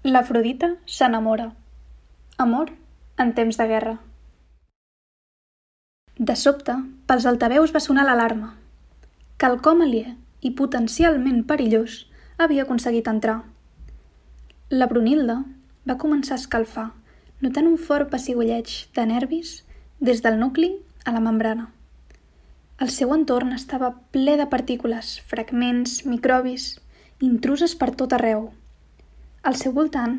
L'Afrodita s'enamora. Amor en temps de guerra. De sobte, pels altaveus va sonar l'alarma. Quelcom aliè i potencialment perillós havia aconseguit entrar. La Brunilda va començar a escalfar, notant un fort pessigolleig de nervis des del nucli a la membrana. El seu entorn estava ple de partícules, fragments, microbis, intruses per tot arreu. Al seu voltant,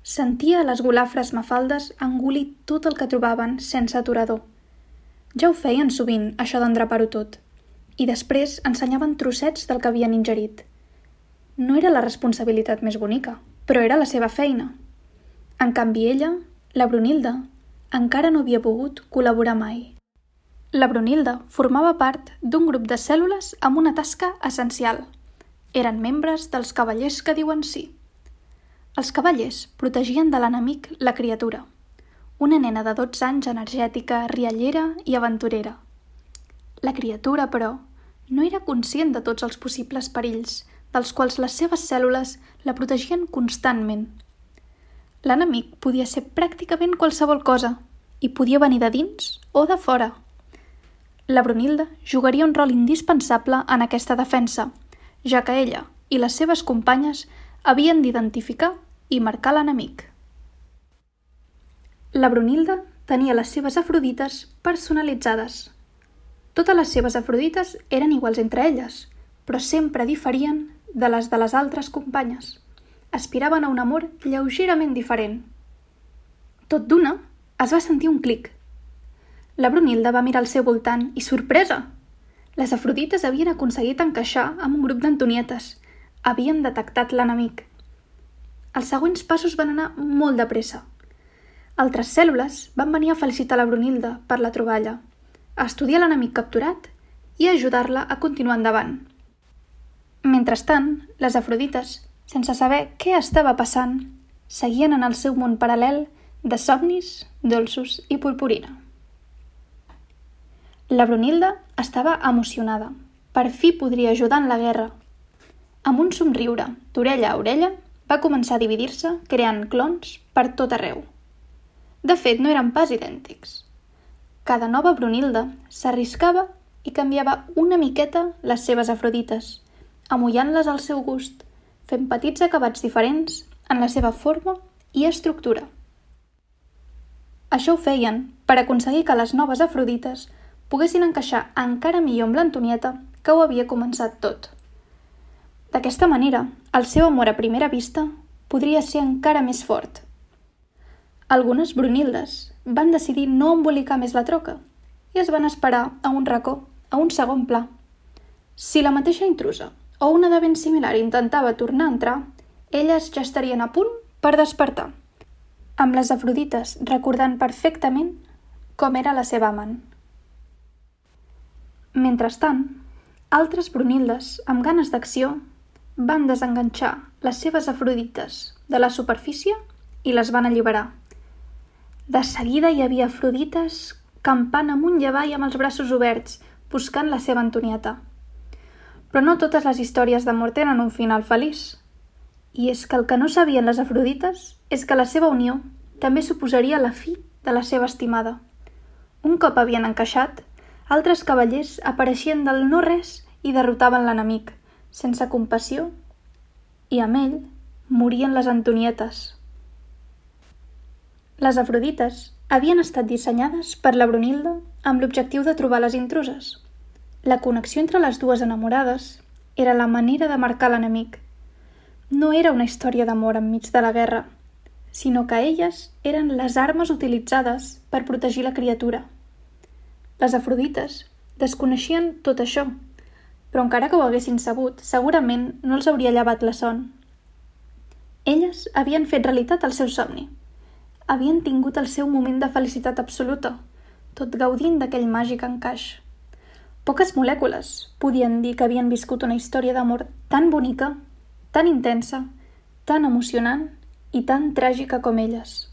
sentia les golafres mafaldes engolir tot el que trobaven sense aturador. Ja ho feien sovint, això d'endrapar-ho tot, i després ensenyaven trossets del que havien ingerit. No era la responsabilitat més bonica, però era la seva feina. En canvi ella, la Brunilda, encara no havia pogut col·laborar mai. La Brunilda formava part d'un grup de cèl·lules amb una tasca essencial. Eren membres dels cavallers que diuen sí. Els cavallers protegien de l'enemic la criatura, una nena de 12 anys energètica, riallera i aventurera. La criatura, però, no era conscient de tots els possibles perills, dels quals les seves cèl·lules la protegien constantment. L'enemic podia ser pràcticament qualsevol cosa, i podia venir de dins o de fora. La Brunilda jugaria un rol indispensable en aquesta defensa, ja que ella i les seves companyes havien d'identificar i marcar l'enemic. La Brunilda tenia les seves Afrodites personalitzades. Totes les seves Afrodites eren iguals entre elles, però sempre diferien de les altres companyes. Aspiraven a un amor lleugerament diferent. Tot d'una, es va sentir un clic. La Brunilda va mirar al seu voltant i, sorpresa! Les Afrodites havien aconseguit encaixar amb un grup d'Antonietes. Havien detectat l'enemic. Els següents passos van anar molt de pressa. Altres cèl·lules van venir a felicitar la Brunilda per la troballa, a estudiar l'enemic capturat i a ajudar-la a continuar endavant. Mentrestant, les Afrodites, sense saber què estava passant, seguien en el seu món paral·lel de somnis, dolços i purpurina. La Brunilda estava emocionada. Per fi podria ajudar en la guerra. Amb un somriure d'orella a orella, va començar a dividir-se, creant clons per tot arreu. De fet, no eren pas idèntics. Cada nova Brunilda s'arriscava i canviava una miqueta les seves Afrodites, amollant-les al seu gust, fent petits acabats diferents en la seva forma i estructura. Això ho feien per aconseguir que les noves Afrodites poguessin encaixar encara millor amb l'Antonieta, que ho havia començat tot. D'aquesta manera, el seu amor a primera vista podria ser encara més fort. Algunes Brunildes van decidir no embolicar més la troca i es van esperar a un racó, a un segon pla. Si la mateixa intrusa o una de ben similar intentava tornar a entrar, elles ja estarien a punt per despertar, amb les Afrodites recordant perfectament com era la seva amant. Mentrestant, altres Brunildes amb ganes d'acció van desenganxar les seves Afrodites de la superfície i les van alliberar. De seguida hi havia Afrodites campant amunt i avall amb els braços oberts, buscant la seva Antonieta. Però no totes les històries d'amor tenen un final feliç. I és que el que no sabien les Afrodites és que la seva unió també suposaria la fi de la seva estimada. Un cop havien encaixat, altres cavallers apareixien del no-res i derrotaven l'enemic, sense compassió, i amb ell morien les Antonietes. Les Afrodites havien estat dissenyades per la Brunilda amb l'objectiu de trobar les intruses. La connexió entre les dues enamorades era la manera de marcar l'enemic. No era una història d'amor enmig de la guerra, sinó que elles eren les armes utilitzades per protegir la criatura. Les Afrodites desconeixien tot això, però encara que ho haguessin sabut, segurament no els hauria llevat la son. Elles havien fet realitat el seu somni. Havien tingut el seu moment de felicitat absoluta, tot gaudint d'aquell màgic encaix. Poques molècules podien dir que havien viscut una història d'amor tan bonica, tan intensa, tan emocionant i tan tràgica com elles.